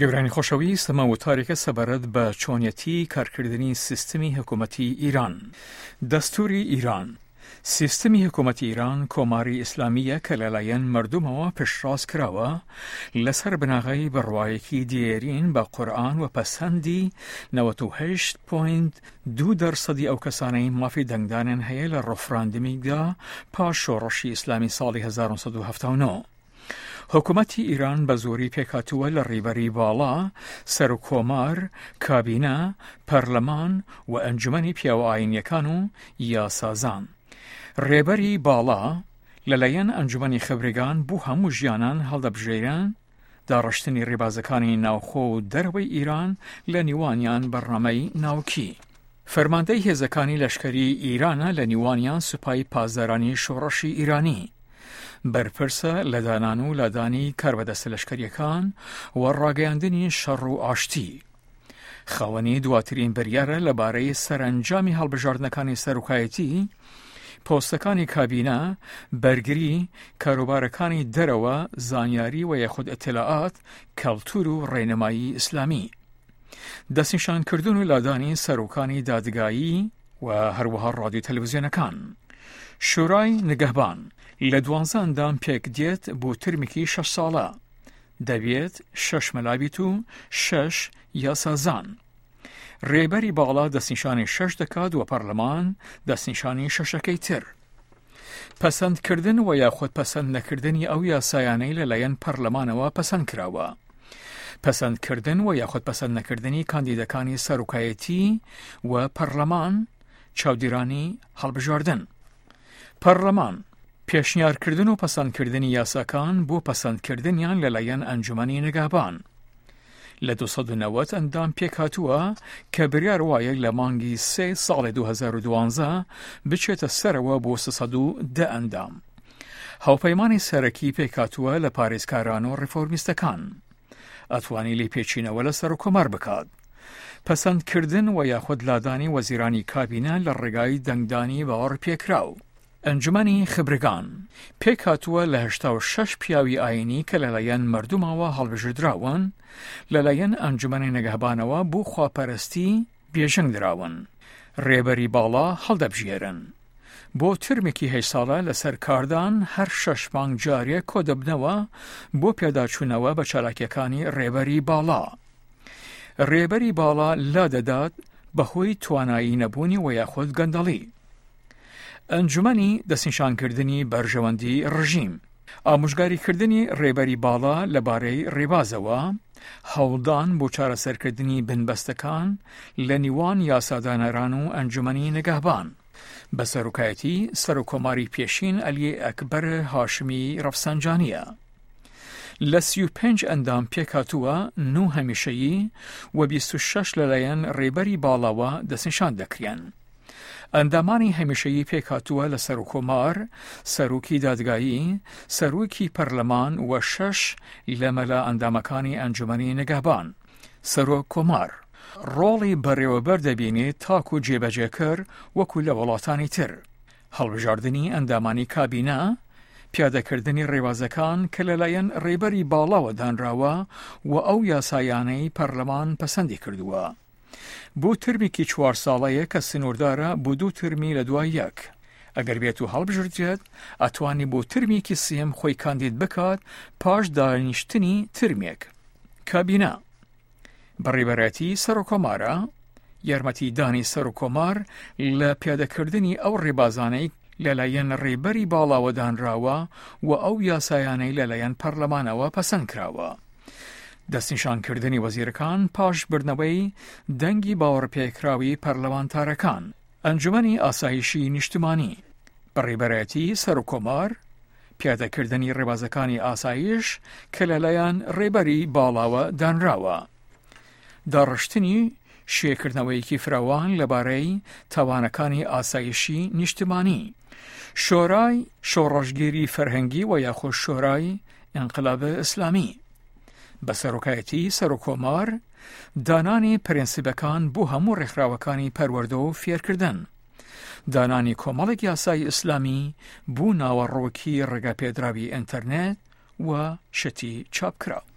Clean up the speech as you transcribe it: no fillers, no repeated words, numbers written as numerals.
گەورانی خۆشەویست ئەمە وتارێکە سەبارەت بە چۆنیەتی کارکردنی سیستمی حکوومەتی ئیران. دەستوری ئیران سیستمی حکوومەتی ئیران کۆماری ئیسلامییە کە لەلایەن مردمەوە پشتڕاست کراوە لەسەر بناغەی بڕوایەکی دێرین بە قورئان و پەسەندی 98.2 دەرسەدی ئەو کەسانەی مافی دەنگدانیان هەیە لە ڕفراندمیکدا پاش شۆڕشی ئیسلامی ساڵی 1979. حکومەتی ئیران بە زۆری پێکهاتووە لە ڕیبەری باڵا، سەرکۆمار، کابینە، پەرلەمان و ئەنجومەنی پیاوە ئاینیەکان و یاسازان. ڕێبەری باڵا لەلایەن ئەنجومەنی خبرگان بۆ هەموو ژیانان هەڵدەبژێرێن، داڕشتنی ڕێبازەکانی ناوخۆ و دەرەوەی ئیران لە نیوانیان بەرنامەی ناوکی. فەرماندەی هێزەکانی لەشکری ئیرانە لە نیوانیان سوپای پاسدارانی شۆڕشی ئیرانی. بەرپرسە لە دانان و لادانی کاربەدەستە لەشکریەکان و ڕاگەیاندنی شەڕ و ئاشتی. خاوەنی دواترین بریارە لەبارەی سەرەنجامی هەڵبژاردنەکانی سەرۆکایەتی، پۆستەکانی کابینە، بەرگری، کاروبارەکانی دەرەوە، زانیاری و یاخود ئیتلاعات، کەڵتور و ڕێنمایی ئیسلامی. دەستنیشانکردن و لادانی سەرۆکانی دادگایی و هەروەها ڕادیو تەلەڤزیۆنەکان. شورای نگەهبان لە دوانزە ئەندام پێک دێت بۆ ترمێکی شەش ساڵە. دەبێت شەش مەلا بیت و شەش یاسازان. رێبەری باڵا دەستنیشانی شەش دەکات و پەرلەمان دەستنیشانی شەشەکەی تر. پەسەندکردن و یاخود پەسەند نەکردنی ئەو یاسایانەی لەلایەن پەرلەمانەوە پەسەند کراوە. پەسەندکردن و یاخود پەسەند نەکردنی کاندیدەکانی سەرۆکایەتی و پەرلەمان، چاودیرانی هەڵبژاردن. پەرلەمان، پێشنیارکردن و پەسەندکردنی یاساکان بۆ پەسەندکردنیان لەلایەن ئەنجومەنی نگەهبان. لە 290 ئەندام پێکهاتووە کە بریار وایە لە مانگی سێ ساڵی 2012 بچێتە سەرەوە بۆ 310 ئەندام. هاوپەیمانی سەرەکی پێکهاتووە لە پارێزکاران و ڕیفۆرمیستەکان. ئەتوانی لێپێچینەوە لە سەرۆککۆمار بکات. پەسەندکردن و یاخود لادانی وەزیرانی کابینە لە ڕێگای دەنگدانی باوەڕپێکراو. ئەنجومەنی خبرگان، پێکهاتووە لە 86 پیاوی ئایینی کە لەلایەن مەردومەوە هەڵبژێردراون، لەلایەن ئەنجومەنی نگەهبانەوە بۆ خواپەرستی بێژنگ دراون، ڕێبەری باڵا هەڵدەبژێرن. بۆ ترمێکی هەشت ساڵە لەسەر کاردان هەر شەش مانگ جارێک کۆدەبنەوە بۆ پێداچوونەوە بە چالاکیەکانی ڕێبەری باڵا. ڕێبەری باڵا لادەدات بەهۆی توانایی نەبوونی وە یاخود گەندەڵی. ئەنجومەنی دەستنیشانکردنی بەرژەوەندی ڕژیم. ئامۆژگاریکردنی ڕێبەری باڵا لەبارەی ڕێبازەوە، هەوڵدان بۆ چارەسەرکردنی بنبەستەکان لە نیوان یاسادانەران و ئەنجومەنی نگەهبان بە سەرۆکایەتی سەرۆککۆماری پێشین عەلی ئەکبەر هاشمی ڕەفسەنجانییە. لە 35 ئەندام پێکهاتووە، نۆ هەمیشەیی و 26 لەلایەن ڕێبەری باڵاوە دەستنیشان دەکرێن. ئەندامانی هەمیشەیی پێکهاتووە لە سەرۆککۆمار، سەرۆکی دادگایی، سەرۆکی پەرلەمان و شەش لە مەلا ئەندامەکانی ئەنجومەنی نگەهبان. سەرۆک کۆمار ڕۆڵی بەڕێوەبەر دەبینێت تاکو جێبەجێکەر وەکو لە وڵاتانی تر. هەڵبژاردنی ئەندامانی کابینە، پیادەکردنی ڕێبازەکان کە لەلایەن ڕێبەری باڵاوە دانراوە و ئەو یاسایانەی پەرلەمان پەسەندی کردووە. بۆ ترمێکی چوار ساڵەیە کە سنووردارە بۆ دوو ترمی لە دوای یەک. ئەگەر بێت و هەڵبژردرێت ئەتوانی بۆ ترمێکی سێیەم خۆی کاندید بکات پاش دانیشتنی ترمێک. کابینە بەڕێوەبەرایەتی سەرۆککۆمارە، یارمەتی دانی سەرۆککۆمار لە پیادەکردنی ئەو ڕێبازانەی لەلایەن ڕێبەری باڵاوە دانراوە و ئەو یاسایانەی لەلایەن پەرلەمانەوە پەسەند کراوە. دەستنیشانکردنی وەزیرەکان پاش بردنەوەی دەنگی باوەڕپێکراوی پەرلەمانتارەکان. ئەنجومەنی ئاسایشی نیشتمانی، بەڕێوەبەرایەتی سەرۆککۆمار، پیادەکردنی ڕێبازەکانی ئاسایش کە لەلایەن ڕێبەری باڵاوە دانراوە. داڕشتنی شێکردنەوەیەکی فراوان لەبارەی تاوانەکانی ئاسایشی نیشتمانی. شۆرای شۆڕشگێری فەرهەنگی و یاخۆ شۆرای ئینقلاب ئیسلامی بە سەرۆکایەتی سەرۆککۆمار، دانانی پرەنسیبەکان بۆ هەموو ڕێکخراوەکانی پەروەردە و فێرکردن، دانانی کۆمەڵێک یاسای ئیسلامی بۆ ناوەڕۆکی ڕێگەپێدراوی ئینتەرنێت و شتی چاپکراو.